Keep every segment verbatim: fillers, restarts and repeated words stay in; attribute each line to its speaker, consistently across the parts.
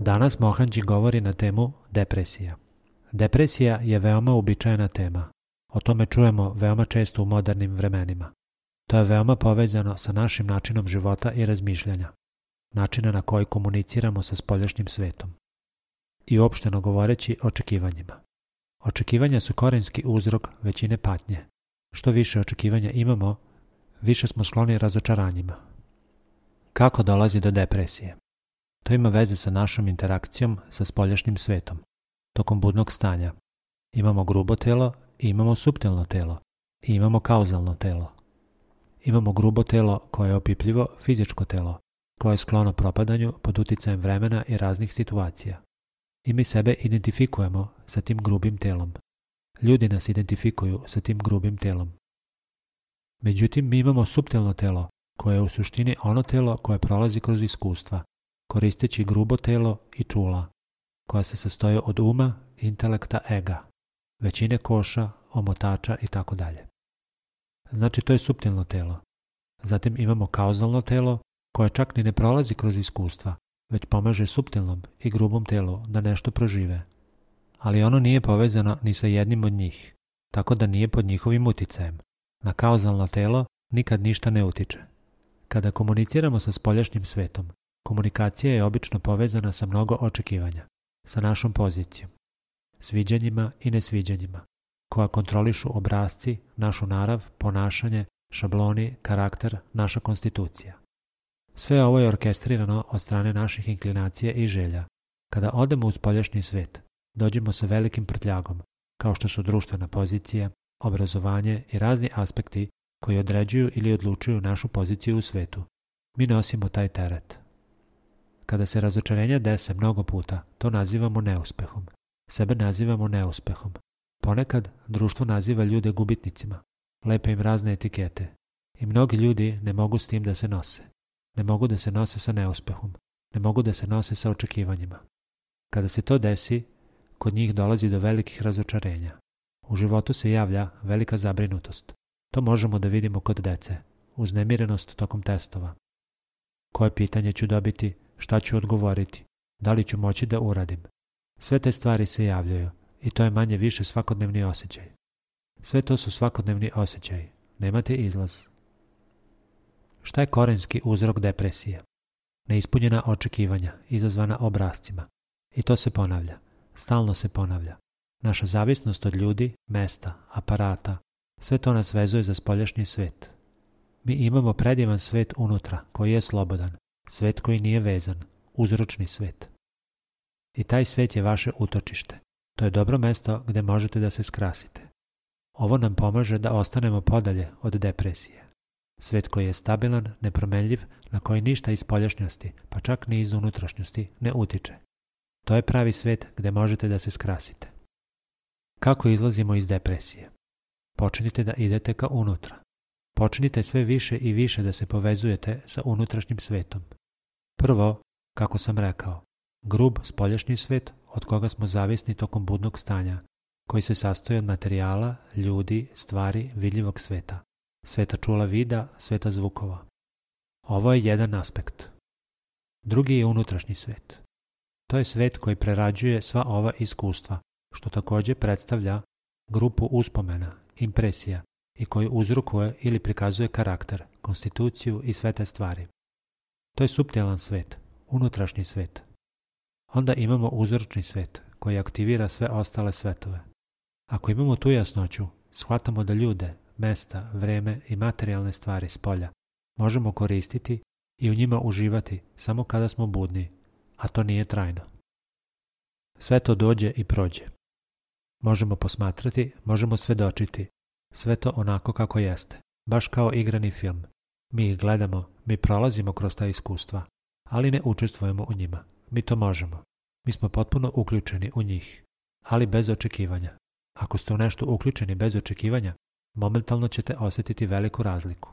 Speaker 1: Danas Mohanji govori na temu depresija. Depresija je veoma uobičajena tema. O tome čujemo veoma često u modernim vremenima. To je veoma povezano sa našim načinom života i razmišljanja, načina na koji komuniciramo sa spoljašnjim svetom i uopšteno govoreći očekivanjima. Očekivanja su korenski uzrok većine patnje. Što više očekivanja imamo, više smo skloni razočaranjima. Kako dolazi do depresije? To ima veze sa našom interakcijom sa spoljašnjim svetom. Tokom budnog stanja imamo grubo telo i imamo suptilno telo i imamo kauzalno telo. Imamo grubo telo koje je opipljivo fizičko telo, koje je sklono propadanju pod uticajem vremena i raznih situacija. I mi sebe identifikujemo sa tim grubim telom. Ljudi nas identifikuju sa tim grubim telom. Međutim, mi imamo suptilno telo, koje je u suštini ono telo koje prolazi kroz iskustva, koristeći grubo telo i čula, koja se sastoje od uma, intelekta, ega, većine koša, omotača i tako dalje. Znači, to je suptilno telo. Zatim imamo kauzalno telo, koje čak ni ne prolazi kroz iskustva, već pomaže suptilnom i grubom telu da nešto prožive. Ali ono nije povezano ni sa jednim od njih, tako da nije pod njihovim uticajem. Na kauzalno telo nikad ništa ne utiče. Kada komuniciramo sa spoljašnjim svetom, komunikacija je obično povezana sa mnogo očekivanja, sa našom pozicijom, sviđanjima i nesviđanjima, koja kontrolišu obrasci, našu narav, ponašanje, šabloni, karakter, naša konstitucija. Sve ovo je orkestrirano od strane naših inklinacija i želja. Kada odemo u spoljašnji svet, dođemo sa velikim prtljagom, kao što su društvena pozicija, obrazovanje i razni aspekti koji određuju ili odlučuju našu poziciju u svetu. Mi nosimo taj teret. Kada se razočarenja dese mnogo puta, to nazivamo neuspehom. Sebe nazivamo neuspehom. Ponekad društvo naziva ljude gubitnicima, lepe im razne etikete. I mnogi ljudi ne mogu s tim da se nose. Ne mogu da se nose sa neuspehom. Ne mogu da se nose sa očekivanjima. Kada se to desi, kod njih dolazi do velikih razočarenja. U životu se javlja velika zabrinutost. To možemo da vidimo kod dece. Uznemirenost tokom testova. Koje pitanje ću dobiti, šta ću odgovoriti, da li ću moći da uradim. Sve te stvari se javljaju i to je manje više svakodnevni osjećaj. Sve to su svakodnevni osjećaji. Nemate izlaz. Šta je korenski uzrok depresije? Neispunjena očekivanja, izazvana obrascima. I to se ponavlja. Stalno se ponavlja. Naša zavisnost od ljudi, mesta, aparata, sve to nas vezuje za spoljašnji svet. Mi imamo predivan svet unutra, koji je slobodan, svet koji nije vezan, uzročni svet. I taj svet je vaše utočište. To je dobro mesto gdje možete da se skrasite. Ovo nam pomaže da ostanemo podalje od depresije. Svet koji je stabilan, nepromenljiv, na koji ništa iz spoljašnjosti, pa čak ni iz unutrašnjosti, ne utiče. To je pravi svet gdje možete da se skrasite. Kako izlazimo iz depresije? Počnite da idete ka unutra. Počnite sve više i više da se povezujete sa unutrašnjim svetom. Prvo, kako sam rekao, grub spoljašnji svet od koga smo zavisni tokom budnog stanja, koji se sastoji od materijala, ljudi, stvari, vidljivog sveta. Sveta čula vida, sveta zvukova. Ovo je jedan aspekt. Drugi je unutrašnji svet. To je svet koji prerađuje sva ova iskustva, što također predstavlja grupu uspomena, impresija i koji uzrokuje ili prikazuje karakter, konstituciju i sve te stvari. To je suptilan svet, unutrašnji svet. Onda imamo uzročni svet koji aktivira sve ostale svetove. Ako imamo tu jasnoću, shvatamo da ljude, mesta, vreme i materijalne stvari spolja možemo koristiti i u njima uživati samo kada smo budni, a to nije trajno. Sve to dođe i prođe. Možemo posmatrati, možemo svedočiti. Sve to onako kako jeste, baš kao igrani film. Mi ih gledamo, mi prolazimo kroz ta iskustva, ali ne učestvujemo u njima. Mi to možemo. Mi smo potpuno uključeni u njih, ali bez očekivanja. Ako ste u nešto uključeni bez očekivanja, momentalno ćete osjetiti veliku razliku.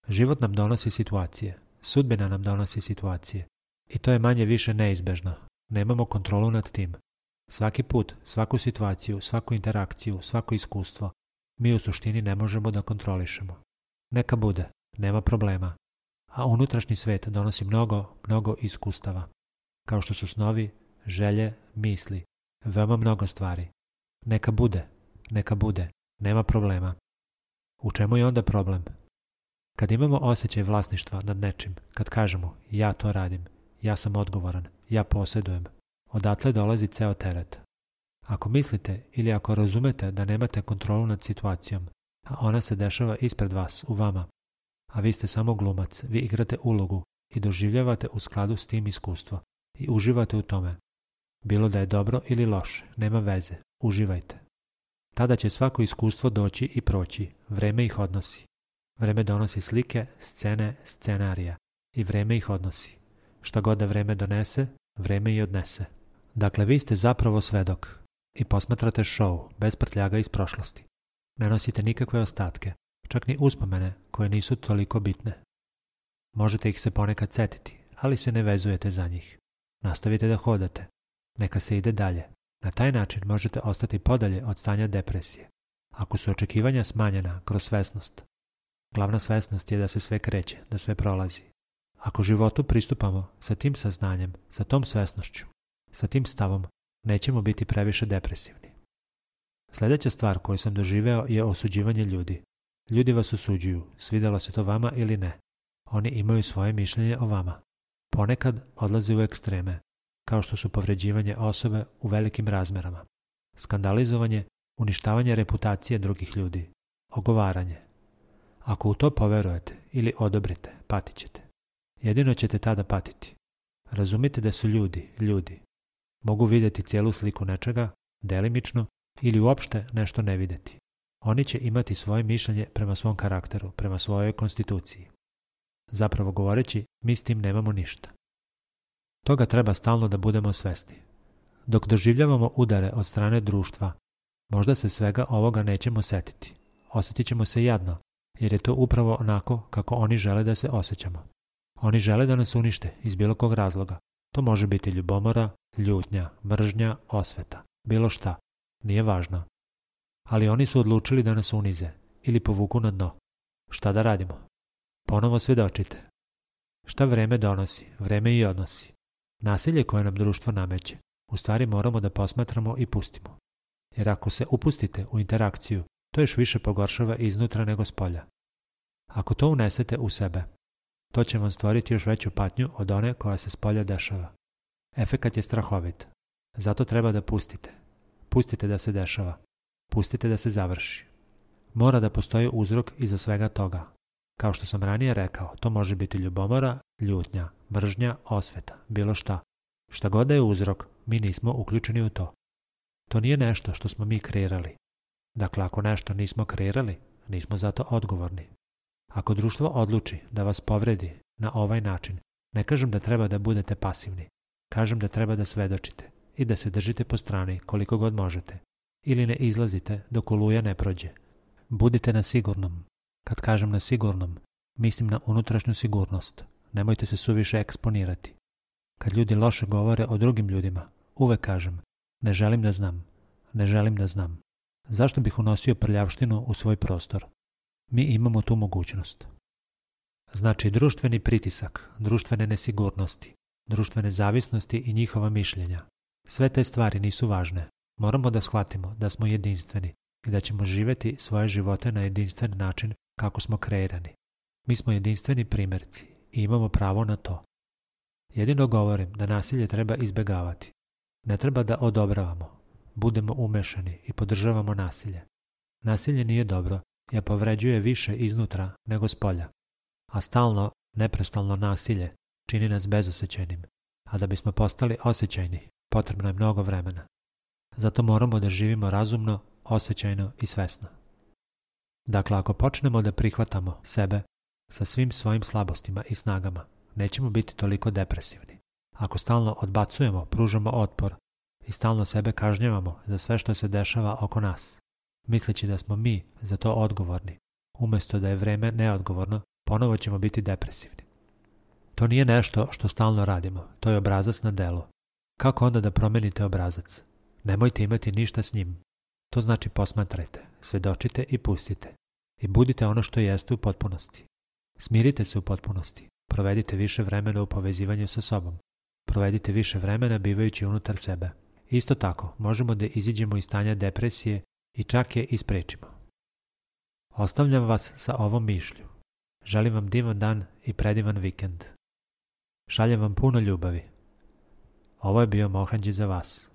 Speaker 1: Život nam donosi situacije, sudbina nam donosi situacije i to je manje više neizbežno. Nemamo kontrolu nad tim. Svaki put, svaku situaciju, svaku interakciju, svako iskustvo, mi u suštini ne možemo da kontrolišemo. Neka bude, nema problema. A unutrašnji svet donosi mnogo, mnogo iskustava. kao što su snovi, želje, misli, veoma mnogo stvari. Neka bude, neka bude, nema problema. U čemu je onda problem? Kad imamo osjećaj vlasništva nad nečim, kad kažemo ja to radim, ja sam odgovoran, ja posjedujem, odatle dolazi ceo teret. Ako mislite ili ako razumete da nemate kontrolu nad situacijom, a ona se dešava ispred vas, u vama, a vi ste samo glumac, vi igrate ulogu i doživljavate u skladu s tim iskustvo i uživate u tome. Bilo da je dobro ili loše, nema veze, uživajte. Tada će svako iskustvo doći i proći, vreme ih odnosi. Vreme donosi slike, scene, scenarija i vreme ih odnosi. Šta god da vreme donese, vreme i odnese. Dakle, vi ste zapravo svedok i posmatrate show bez prtljaga iz prošlosti. Ne nosite nikakve ostatke, čak ni uspomene koje nisu toliko bitne. Možete ih se ponekad setiti, ali se ne vezujete za njih. Nastavite da hodate. Neka se ide dalje. Na taj način možete ostati podalje od stanja depresije. Ako su očekivanja smanjena kroz svesnost, glavna svesnost je da se sve kreće, da sve prolazi. Ako životu pristupamo sa tim saznanjem, sa tom svesnošću, sa tim stavom, nećemo biti previše depresivni. Sljedeća stvar koju sam doživeo je osuđivanje ljudi. Ljudi vas osuđuju, svidjelo se to vama ili ne. Oni imaju svoje mišljenje o vama. Ponekad odlaze u ekstreme, kao što su povređivanje osobe u velikim razmerama, skandalizovanje, uništavanje reputacije drugih ljudi, ogovaranje. Ako u to poverujete ili odobrite, patit ćete. Jedino ćete tada patiti. Razumite da su ljudi, ljudi. Mogu vidjeti cijelu sliku nečega, delimično, ili uopšte nešto ne vidjeti. Oni će imati svoje mišljenje prema svom karakteru, prema svojoj konstituciji. Zapravo govoreći, mi s tim nemamo ništa. Toga treba stalno da budemo svesni. Dok doživljavamo udare od strane društva, možda se svega ovoga nećemo setiti. Osjetit ćemo se jadno, jer je to upravo onako kako oni žele da se osjećamo. Oni žele da nas unište iz bilo kog razloga. To može biti ljubomora, ljutnja, mržnja, osveta, bilo šta. Nije važno. Ali oni su odlučili da nas unize ili povuku na dno. Šta da radimo? Ponovo svjedočite. Šta vreme donosi, vreme i odnosi. Nasilje koje nam društvo nameće, u stvari moramo da posmatramo i pustimo. Jer ako se upustite u interakciju, to još više pogoršava iznutra nego spolja. Ako to unesete u sebe, to će vam stvoriti još veću patnju od one koja se spolja dešava. Efekat je strahovit. Zato treba da pustite. Pustite da se dešava. Pustite da se završi. Mora da postoji uzrok iza svega toga. Kao što sam ranije rekao, to može biti ljubomora, ljutnja, mržnja, osveta, bilo šta. Šta god da je uzrok, mi nismo uključeni u to. To nije nešto što smo mi kreirali. Dakle, ako nešto nismo kreirali, nismo za to odgovorni. Ako društvo odluči da vas povredi na ovaj način, ne kažem da treba da budete pasivni. Kažem da treba da svedočite i da se držite po strani koliko god možete. Ili ne izlazite dok oluja ne prođe. Budite na sigurnom. Kad kažem na sigurnom, mislim na unutrašnju sigurnost. Nemojte se suviše eksponirati. Kad ljudi loše govore o drugim ljudima, uvek kažem, ne želim da znam, ne želim da znam. Zašto bih unosio prljavštinu u svoj prostor? Mi imamo tu mogućnost. Znači, društveni pritisak, društvene nesigurnosti, društvene zavisnosti i njihova mišljenja. Sve te stvari nisu važne. Moramo da shvatimo da smo jedinstveni i da ćemo živjeti svoje živote na jedinstven način kako smo kreirani. Mi smo jedinstveni primjerci i imamo pravo na to. Jedino govorim da nasilje treba izbjegavati. Ne treba da odobravamo, budemo umešani i podržavamo nasilje. Nasilje nije dobro jer povređuje više iznutra nego spolja. A stalno, neprestalno nasilje čini nas bezosjećajnim, a da bismo postali osjećajni, potrebno je mnogo vremena. Zato moramo da živimo razumno, osjećajno i svesno. Dakle, ako počnemo da prihvatamo sebe sa svim svojim slabostima i snagama, nećemo biti toliko depresivni. Ako stalno odbacujemo, pružamo otpor i stalno sebe kažnjavamo za sve što se dešava oko nas, misleći da smo mi za to odgovorni, umjesto da je vreme neodgovorno, ponovo ćemo biti depresivni. To nije nešto što stalno radimo, to je obrazac na delu. Kako onda da promenite obrazac? Nemojte imati ništa s njim. To znači posmatrajte, svedočite i pustite. I budite ono što jeste u potpunosti. Smirite se u potpunosti. Provedite više vremena u povezivanju sa sobom. provedite više vremena bivajući unutar sebe. Isto tako, možemo da iziđemo iz stanja depresije i čak je isprečimo. Ostavljam vas sa ovom mišlju. Želim vam divan dan i predivan vikend. Šaljem vam puno ljubavi. Ovo je bio Mohanđi za vas.